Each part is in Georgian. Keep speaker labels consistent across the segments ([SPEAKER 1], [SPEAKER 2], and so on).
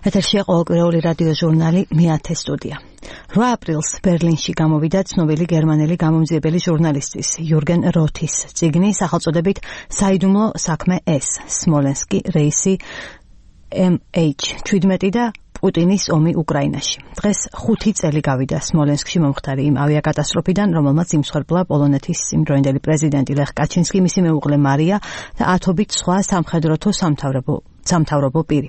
[SPEAKER 1] ეთერშია ყოველკვირეული რადიო ჟურნალი მეათე სტუდია. 8 აპრილს ბერლინში გამოვიდა ცნობილი გერმანელი გამომძიებელი ჟურნალისტის იურგენ როთის წიგნი სახელწოდებით საიდუმლო საქმე S, სმოლენსკი, რეისი MH17 და პუტინის ომი უკრაინაში. დღეს 5 წელი გავიდა სმოლენსკში მომხდარი იმ ავიაკატასტროფიდან, რომელმაც იმსხვერპლა პოლონეთის იმდროინდელი პრეზიდენტი ლეხ კაჩინსკი, მისი მეუღლე მარია და ათობით სხვა სამხედრო თუ სამთავრობო პირი.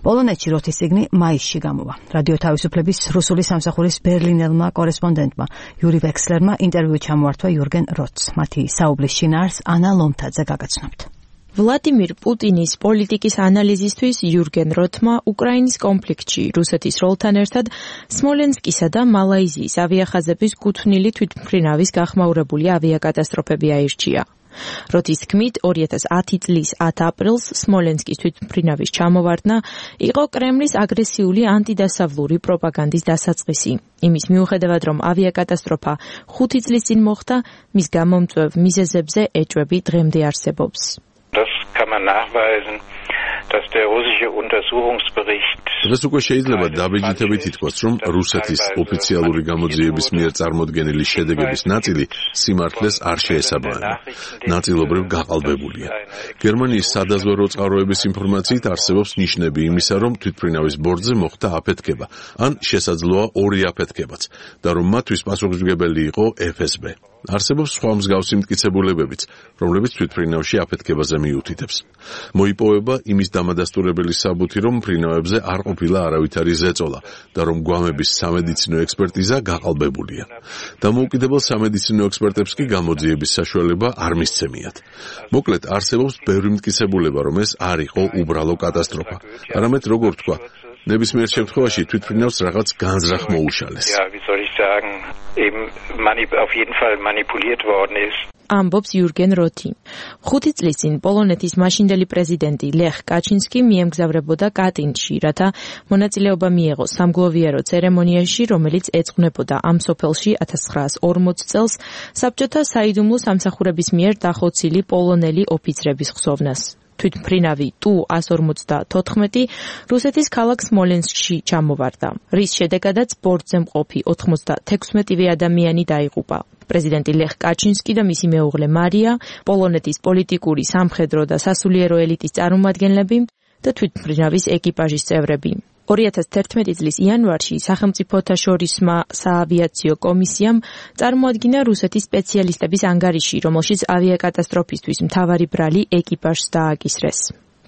[SPEAKER 1] პოლონეთში როთის წიგნი მაისში გამოვა. რადიო თავისუფლების რუსული სამსახურის ბერლინელმა კორესპონდენტმა იური ვექსლერმა ინტერვიუ ჩამოართვა იურგენ როთს. მათი საუბრის შინაარსს ანა ლომთაძე გაგაცნობთ.
[SPEAKER 2] ვლადიმირ პუტინის პოლიტიკის ანალიზისთვის იურგენ როთმა უკრაინის კონფლიქტში რუსეთის როლთან ერთად სმოლენსკისა და მალაიზიის ავიახაზების კუთვნილი თვითმფრინავის გახმაურებული ავიაკატასტროფები აირჩია. როთის თქმით, 2010 წლის 10 აპრილს სმოლენსკის თვითმფრინავის ჩამოვარდნა იყო კრემლის აგრესიული ანტიდასავლური პროპაგანდის დასაწყისი. იმის მიუხედავად, რომ ავიაკატასტროფა 5 წლის წინ მოხდა, მის გამომწვევ მიზეზებზე ეჭვები დღემდე არსებობს.
[SPEAKER 3] Das kann man nachweisen, dass der russische Untersuchungsbericht
[SPEAKER 4] Das უკვე შეიძლება დაბეჭდებით ითქვას, რომ რუსეთის ოფიციალური გამოძიების მიერ წარმოდგენილი შედეგების ნაწილი სიმართლეს არ შეესაბამება. ნაწილობრივ გაყალბებულია. გერმანიის სადაზვერვო წყაროების ინფორმაციით არსებობს ნიშნები იმისა, რომ თვითმფრინავის ბორტზე მოხდა აფეთქება, ან შესაძლოა ორი აფეთქებაც, და რომ მათთვის პასუხისმგებელი იყო FSB. არსებობს სხვა მსგავსი მტკიცებულებებიც, რომლებიც თვითმფრინავში აფეთქებაზე მიუთითებს. მოიპოვება იმის დამადასტურებელი საბუთი, რომ მფრინავებზე არ ყოფილა არავითარი ზეწოლა და რომ გვამების სამედიცინო ექსპერტიზა გაყალბებულია. დამოუკიდებელ სამედიცინო ექსპერტებს კი გამოძიების საშუალება არ მისცემიათ. მოკლედ, არსებობს ბევრი მტკიცებულება, რომ ეს არ იყო უბრალო კატასტროფა, არამედ როგორ თქვა, ნებისმიერ შემთხვევაში თვითმფრინავს რაღაც განზრახ მოუშალეს.
[SPEAKER 3] auf jeden Fall manipuliert worden ist.
[SPEAKER 2] ამბობს იურგენ როთი. 5 წლის წინ პოლონეთის მაშინდელი პრეზიდენტი ლეხ კაჩინსკი მიემგზავრებოდა კატინში, რათა მონაწილეობა მიეღო სამგლოვიარო ცერემონიაში, რომელიც ეძღვნებოდა ამ სოფელში 1940 წელს საბჭოთა საიდუმლო სამსახურების მიერ დახოცილი პოლონელი ოფიცრების ხსოვნას. თვითმფრინავი Tu-154 რუსეთის ქალაქ სმოლენსკში ჩამოვარდა, რის შედეგადაც ბორტზე მყოფი 96 ადამიანი დაიღუპა. პრეზიდენტი ლეხ კაჩინსკი და მისი მეუღლე მარია, პოლონეთის პოლიტიკური, სამხედრო და სასულიერო ელიტის წარმომადგენლები და თვითმფრინავის ეკიპაჟის წევრები. 2011 წლის იანვარში სახელმწიფოთა შორისმა საავიაციო კომისიამ წარმოადგინა რუსეთის სპეციალისტების ანგარიში, რომელშიც ავიაკატასტროფისთვის მთავარი ბრალი ეკიპაჟს დააკისრეს.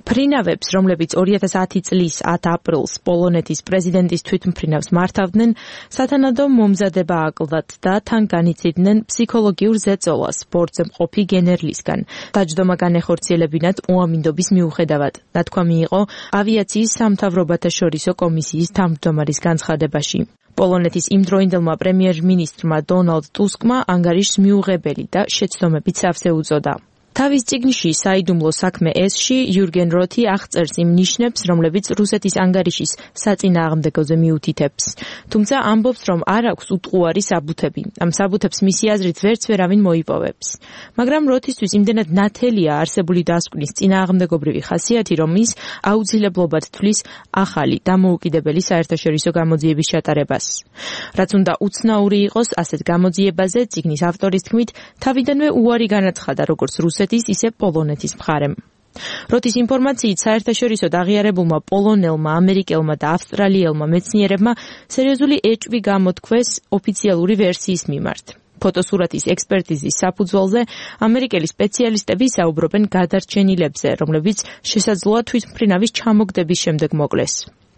[SPEAKER 2] ფრინავებს, რომლებიც 2010 წლის 10 აპრილს პოლონეთის პრეზიდენტის თვითმფრინავს მართავდნენ, სათანადო მომზადება აკლდათ და თან განიცდიდნენ ფსიქოლოგიურ ზეწოლას ბორტზე მყოფი გენერლისგან. დაჯდომა განეხორციელებინათ უამინდობის მიუხედავად. ნათქვამი იყო ავიაციის სამთავრობათაშორისო კომისიის თავმჯდომარის განცხადებაში. პოლონეთის იმდროინდელმა პრემიერ-მინისტრმა დონალდ ტუსკმა ანგარიშს მიუღებელი და შეცდომებით სავსე უწოდა. თავის წიგნში საიდუმლო საქმე S-ში იურგენ როთი აღწერს იმ ნიშნებს, რომლებიც რუსეთის ანგარიშის საწინააღმდეგოზე მიუთითებს. თუმცა ამბობს, რომ არ აქვს უტყუარი საბუთები. ამ საბუთებს მისი აზრით ვერც ვერავინ მოიპოვებს. მაგრამ როთისთვის იმდენად ნათელია არსებული დასკვნის წინააღმდეგობრივი ხასიათი, რომ ის აუცილებლობად თვლის ახალი დამოუკიდებელი საერთაშორისო გამოძიების ჩატარებას. რაც უნდა უცნაური იყოს ასეთ გამოძიებაზე, წიგნის ავტორის თქმით, თავიდანვე უარი განაცხადა როგორც რუსეთის, ისე პოლონეთის მხარემ. როთის ინფორმაციით საერთაშორისოდ აღიარებულმა პოლონელმა, ამერიკელმა და ავსტრალიელმა მეცნიერებმა სერიოზული ეჭვი გამოთქვეს ოფიციალური ვერსიის მიმართ. ფოტოსურათის ექსპერტიზის საფუძველზე ამერიკელი სპეციალისტები საუბრობენ გადარჩენილებზე, რომლებიც შესაძლოა თვითმფრინავის ჩამოგდების შემდეგ მოკლეს.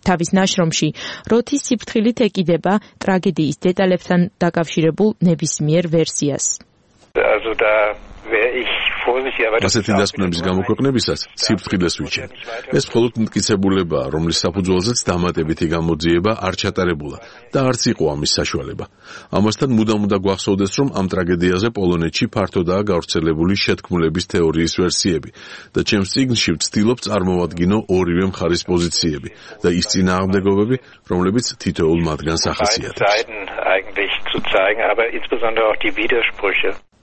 [SPEAKER 2] თავის ნაშრომში როთის სიფრთხილით ეკიდება ტრაგედიის დეტალებთან დაკავშირებულ ნებისმიერ ვერსიას.
[SPEAKER 4] ასეთი დასკვნების გამოქვეყნებისას სიფრთხილეს ვიჩენ. ეს მხოლოდ მტკიცებულებაა, რომლის საფუძველზეც დამატებითი გამოძიება არ ჩატარებულა და არც იყო ამის საშუალება. ამასთან მუდამ უნდა გვახსოვდეს, რომ ამ ტრაგედიაზე პოლონეთში ფართოდაა გავრცელებული შეთქმულების თეორიის ვერსიები და ჩემს წიგნში ვცდილობ წარმოვადგინო ორივე მხარის პოზიციები და ის წინააღმდეგობები, რომლებიც თითოეულ მათგანს ახასიათებს.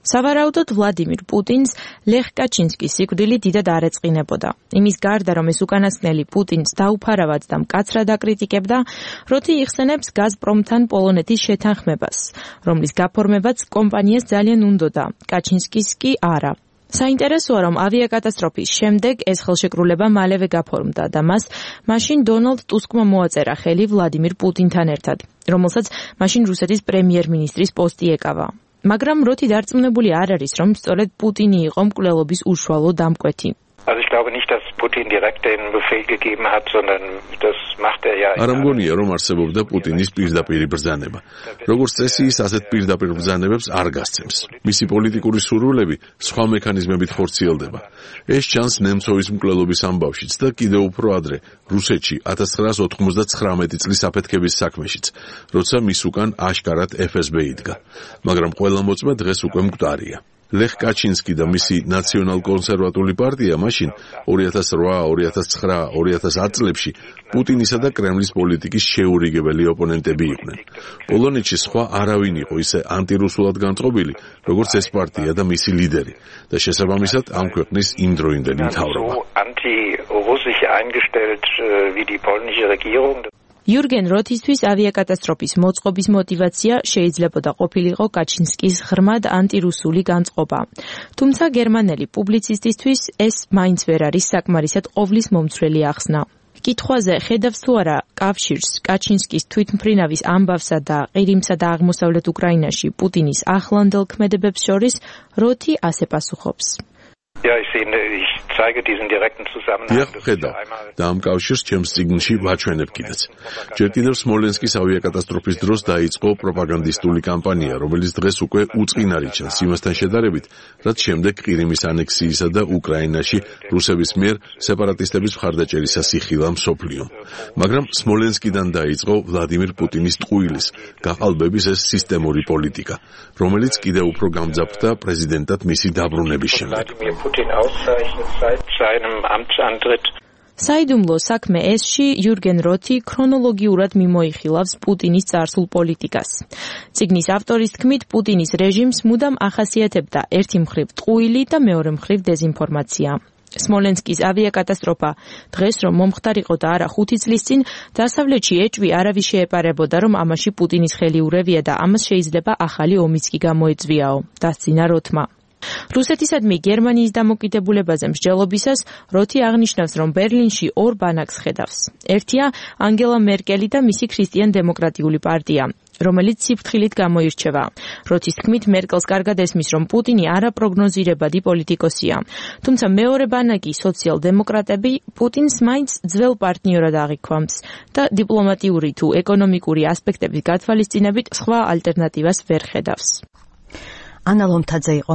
[SPEAKER 2] სავარაუდოდ ვლადიმირ პუტინს ლეხ კაჩინსკის სიკვდილი დიდად არ ეწყინებოდა. იმის გარდა, რომ ეს უკანასკნელი პუტინს დაუფარავად და მკაცრად აკრიტიკებდა, როთი იხსენებს გაზპრომთან პოლონეთის შეთანხმებას, რომლის გაფორმებაც კომპანიას ძალიან უნდოდა, კაჩინსკის კი არა. საინტერესოა, რომ ავიაკატასტროფის შემდეგ ეს ხელშეკრულება მალევე გაფორმდა და მას მაშინ დონალდ ტუსკმა მოაწერა ხელი ვლადიმირ პუტინთან ერთად, რომელსაც მაშინ რუსეთის პრემიერ-მინისტრის პოსტი ეკავა. მაგრამ როთი დარწმუნებული არ არის, რომ სწორედ პუტინი იყო მკვლელობის უშუალო დამკვეთი.
[SPEAKER 3] Also ich glaube nicht, dass Putin direkt den Befehl gegeben hat, sondern das macht er ja.
[SPEAKER 4] არ ამგონია, რომ არსებობდა პუტინის პირდაპირი ბრძანება. როგორც წესი, ის ასეთ პირდაპირ ბრძანებებს არ გასცემს. მისი პოლიტიკური სურვილები სხვა მექანიზმებით ხორციელდება. ეს ჩანს ნემცოვის მკვლელობის ამბავშიც და კიდევ უფრო ადრე, რუსეთში 1999 წლის აფეთქების საქმეშიც, როცა მის უკან აშკარად FSB იდგა. მაგრამ ყველა მოწმე დღეს უკვე მკვდარია. ლეხ კაჩინსკი და მისი ნაციონალ-კონსერვატული პარტია მაშინ 2008, 2009, 2010 წლებში პუტინისა და კრემლის პოლიტიკის შეურიგებელი ოპონენტები იყვნენ. პოლონეთში სხვა არავინ იყო ისე ანტირუსულად განწყობილი, როგორც ეს პარტია და მისი ლიდერი და შესაბამისად ამ ქვეყნის იმდროინდელი მთავრობა.
[SPEAKER 2] იურგენ როთისთვის ავიაკატასტროფის მოწყობის мотиваცია შეიძლებოდა ყოფილიყო კაჩინსკის ღრმად ანტირუსული განწყობა. თუმცა გერმანელი პუბლიცისტისთვის ეს მაინც ვერ არის საკმარისად ყოვლის მომცველი ახსნა. კითხვაზე ხედავს თუ არა კავშირს კაჩინსკის თვითმფრინავის ამბავსა და ყირიმსა და აღმოსავლეთ უკრაინაში პუტინის ახლანდელ ქმედებებს შორის, როთი ასე პასუხობს.
[SPEAKER 4] ხედავ და ამ კავშირს ჩემს წიგნში ვაჩვენებ კიდეც. ჯერ კიდევ სმოლენსკის ავიაკატასტროფის დროს დაიწყო პროპაგანდისტული კამპანია, რომელიც დღეს უკვე უწყინარი ჩანს იმასთან შედარებით, რაც შემდეგ ყირიმის ანექსიისა და უკრაინაში რუსების მიერ სეპარატისტების მხარდაჭერისას იხილა მსოფლიომ. მაგრამ სმოლენსკიდან დაიწყო ვლადიმირ პუტინის ტყუილის, გაყალბების ეს სისტემური პოლიტიკა, რომელიც კიდევ უფრო გამძაფრდა პრეზიდენტად მისი დაბრუნების შემდეგ.
[SPEAKER 2] საიდუმლო საქმე ესში იურგენ როთი ქრონოლოგიურად მიმოიხილავს პუტინის წარსულ პოლიტიკას. წიგნის ავტორის თქმით, პუტინის რეჟიმს მუდამ ახასიათებდა ერთი მხრივ ტყუილი და მეორე მხრივ დეზინფორმაცია. სმოლენსკის ავიაკატასტროფა დღეს რომ მომხდარიყო და არა 5 წლის წინ, დასავლეთში ეჭვი არავის შეეპარებოდა, რომ ამაში პუტინის ხელი ურევია და ამას შეიძლება ახალი ომიც კი გამოეწვიაო, დასცინა როთმა. რუსეთისადმი გერმანიის დამოკიდებულებაზე მსჯელობისას როთი აღნიშნავს, რომ ბერლინში ორ ბანაკს ხედავს. ერთია ანგელა მერკელი და მისი ქრისტიან-დემოკრატიული პარტია, რომელიც სიფრთხილით გამოირჩევა. როთის თქმით, მერკელს კარგად ესმის, რომ პუტინი არაპროგნოზირებადი პოლიტიკოსია. თუმცა მეორე ბანაკი, სოციალ-დემოკრატები, პუტინს მაინც ძველ პარტნიორად აღიქვამს და დიპლომატიური თუ ეკონომიკური ასპექტების გათვალისწინებით სხვა ალტერნატივას ვერ ხედავს.
[SPEAKER 1] ანა ლომთაძე იყო